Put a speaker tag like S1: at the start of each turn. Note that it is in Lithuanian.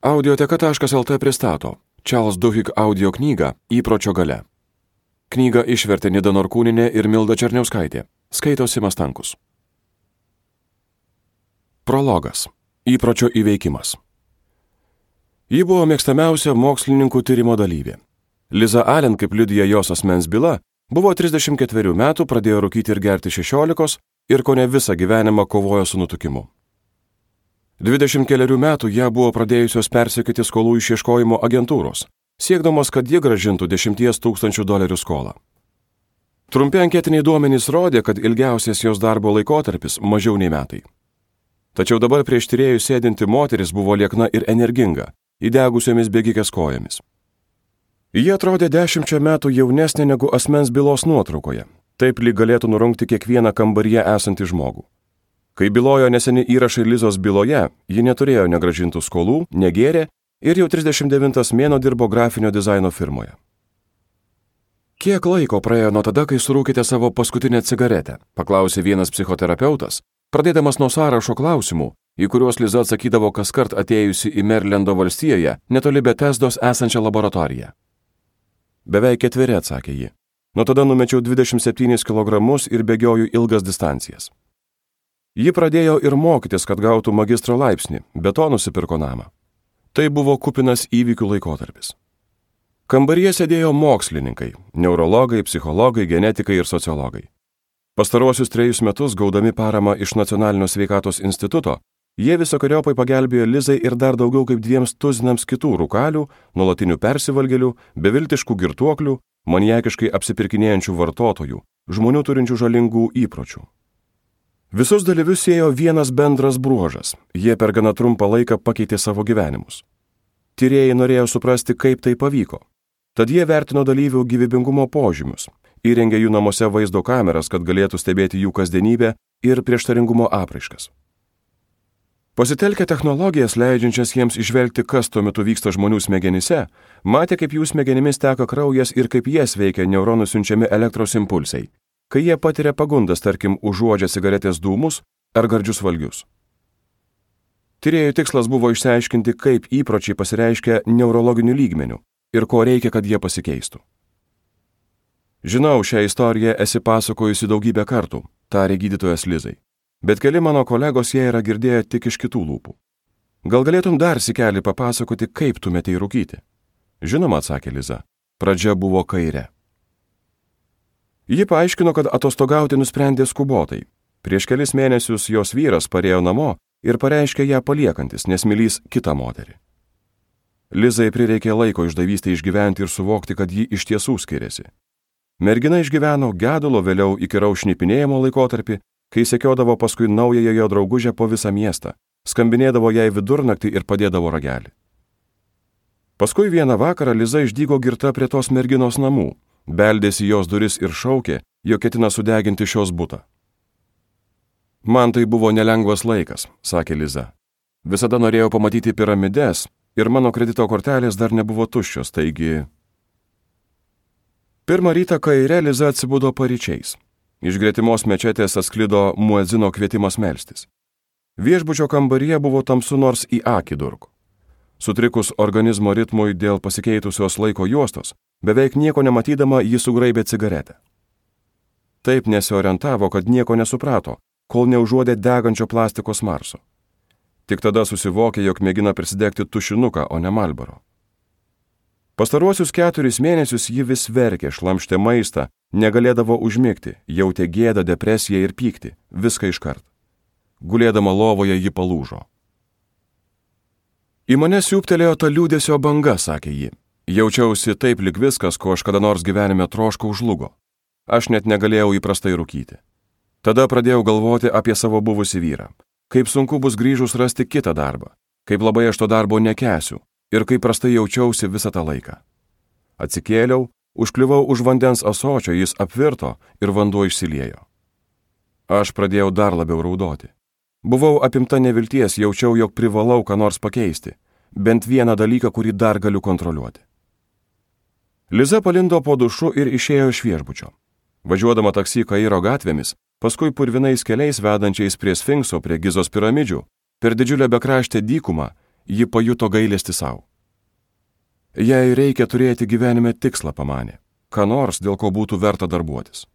S1: Audioteka.lt pristato Charles Duhigg audio knygą Įpročio galia. Knygą išvertė Nida Norkūnienė ir Milda Černiauskaitė. Skaito Simas Stankus. Prologas. Įpročio įveikimas. Ji buvo mėgstamiausia mokslininkų tyrimo dalyvė. Liza Allen, kaip liudija jos asmens byla, buvo 34 metų, pradėjo rūkyti ir gerti 16 ir kone visą gyvenimą kovojo su nutukimu. 20 keliarių metų ją buvo pradėjusios persekioti skolų išieškojimo agentūros, siekdamos, kad ji grąžintų $10 000 skolą. Trumpi anketiniai duomenys rodė, kad ilgiausias jos darbo laikotarpis mažiau nei metai. Tačiau dabar prieš tyrėjų sėdinti moteris buvo liekna ir energinga, įdegusiomis bėgikės kojomis. Ji atrodė 10 metų jaunesnė negu asmens bylos nuotraukoje, taip lyg galėtų nurungti kiekvieną kambaryje esantį žmogų. Kai bylojo neseni įrašai Lizos byloje, ji neturėjo negrąžintų skolų, negėrė ir jau 39 mėnuo dirbo grafinio dizaino firmoje. Kiek laiko praėjo nuo tada, kai surūkite savo paskutinę cigaretę, paklausė vienas psichoterapeutas, pradėdamas nuo sąrašo klausimų, į kuriuos Liza atsakydavo kaskart atėjusi į Merlendo valstijoje, netoli Betesdos esančią laboratoriją. Beveik 4, atsakė ji. Nuo tada numečiau 27 kg ir bėgioju ilgas distancijas. Ji pradėjo ir mokytis, kad gautų magistro laipsnį, be to nusipirko namą. Tai buvo kupinas įvykių laikotarpis. Kambaryje sėdėjo mokslininkai, neurologai, psichologai, genetikai ir sociologai. Pastaruosius 3 metus, gaudami paramą iš Nacionalinio sveikatos instituto, jie visokiojopai pagelbėjo Lizai ir dar daugiau kaip 200 kitų rūkalių, nuolatinių persivalgėlių, beviltiškų girtuoklių, maniakiškai apsipirkinėjančių vartotojų, žmonių turinčių žalingų įpročių. Visus dalyvius siejo vienas bendras bruožas. Jie per gana trumpą laiką pakeitė savo gyvenimus. Tyrėjai norėjo suprasti, kaip tai pavyko. Tad jie vertino dalyvių gyvybingumo požymius, įrengė jų namuose vaizdo kameras, kad galėtų stebėti jų kasdienybę ir prieštaringumo apraiškas. Pasitelkę technologijas, leidžiančias jiems išvelgti, kas tuo metu vyksta žmonių smegenyse, matė, kaip jų smegenimis teka kraujas ir kaip jas veikia neuronų siunčiami elektros impulsai, kai jie patiria pagundas, tarkim, užuodžia cigaretės dūmus ar gardžius valgius. Tyrėjų tikslas buvo išsiaiškinti, kaip įpročiai pasireiškia neurologiniu lygmeniu ir ko reikia, kad jie pasikeistų. Žinau, šią istoriją esi pasakojusi daugybę kartų, tarė gydytojas Lizai, bet keli mano kolegos ją yra girdėję tik iš kitų lūpų. Gal galėtum dar sikelį papasakoti, kaip tu metei rūkyti? Žinoma, atsakė Liza, pradžia buvo kairė. Ji paaiškino, kad atostogauti nusprendė skubotai. Prieš kelis mėnesius jos vyras parėjo namo ir pareiškė ją paliekantis, nes mylys kitą moterį. Lizai prireikė laiko išdavystę išgyventi ir suvokti, kad ji iš tiesų skiriasi. Mergina išgyveno gedulo, vėliau įkyraus šnipinėjimo laikotarpį, kai sekiodavo paskui naująją jo draugužę po visą miestą, skambinėdavo jai vidurnaktį ir padėdavo ragelį. Paskui vieną vakarą Liza išdygo girta prie tos merginos namų, beldėsi jos duris ir šaukė, jog ketina sudeginti šios butą. Man tai buvo nelengvas laikas, sakė Liza. Visada norėjau pamatyti piramides ir mano kredito kortelės dar nebuvo tuščios, taigi... Pirmą rytą kaire Liza atsibudo paryčiais. Iš gretimos mečetės atsklido muedzino kvietimas melstis. Viešbučio kambaryje buvo tamsu nors į akį durko. Sutrikus organizmo ritmui dėl pasikeitusios laiko juostos, beveik nieko nematydama ji sugraibė cigaretę. Taip nesiorientavo, kad nieko nesuprato, kol neužuodė degančio plastiko smarso. Tik tada susivokė, jog mėgina prisidegti tušinuką, o ne Marlboro. Pastaruosius 4 mėnesius ji vis verkė, šlamštė maistą, negalėdavo užmigti, jautė gėdą, depresiją ir pyktį, viską iškart. Gulėdama lovoje ji palūžo. Į mane siūptelėjo ta liūdesio banga, sakė ji. Jaučiausi taip lyg viskas, ko aš kada nors gyvenime troškau, žlugo. Aš net negalėjau įprastai rūkyti. Tada pradėjau galvoti apie savo buvusį vyrą. Kaip sunku bus grįžus rasti kitą darbą. Kaip labai aš to darbo nekęsiu. Ir kaip prastai jaučiausi visą tą laiką. Atsikėliau, užkliuvau už vandens ąsočio, jis apvirto ir vanduo išsiliejo. Aš pradėjau dar labiau raudoti. Buvau apimta nevilties, jaučiau, jog privalau ką nors pakeisti. Bent vieną dalyką, kurį dar galiu kontroliuoti. Liza palindo po dušu ir išėjo iš viešbučio. Važiuodama taksi Kairo gatvėmis, paskui purvinais keliais vedančiais prie Sfinkso, prie Gizos piramidžių, per didžiulę bekraštę dykumą, ji pajuto gailestį savo. Jei reikia turėti gyvenime tikslą, pamanė, ką nors, dėl ko būtų verta darbuotis.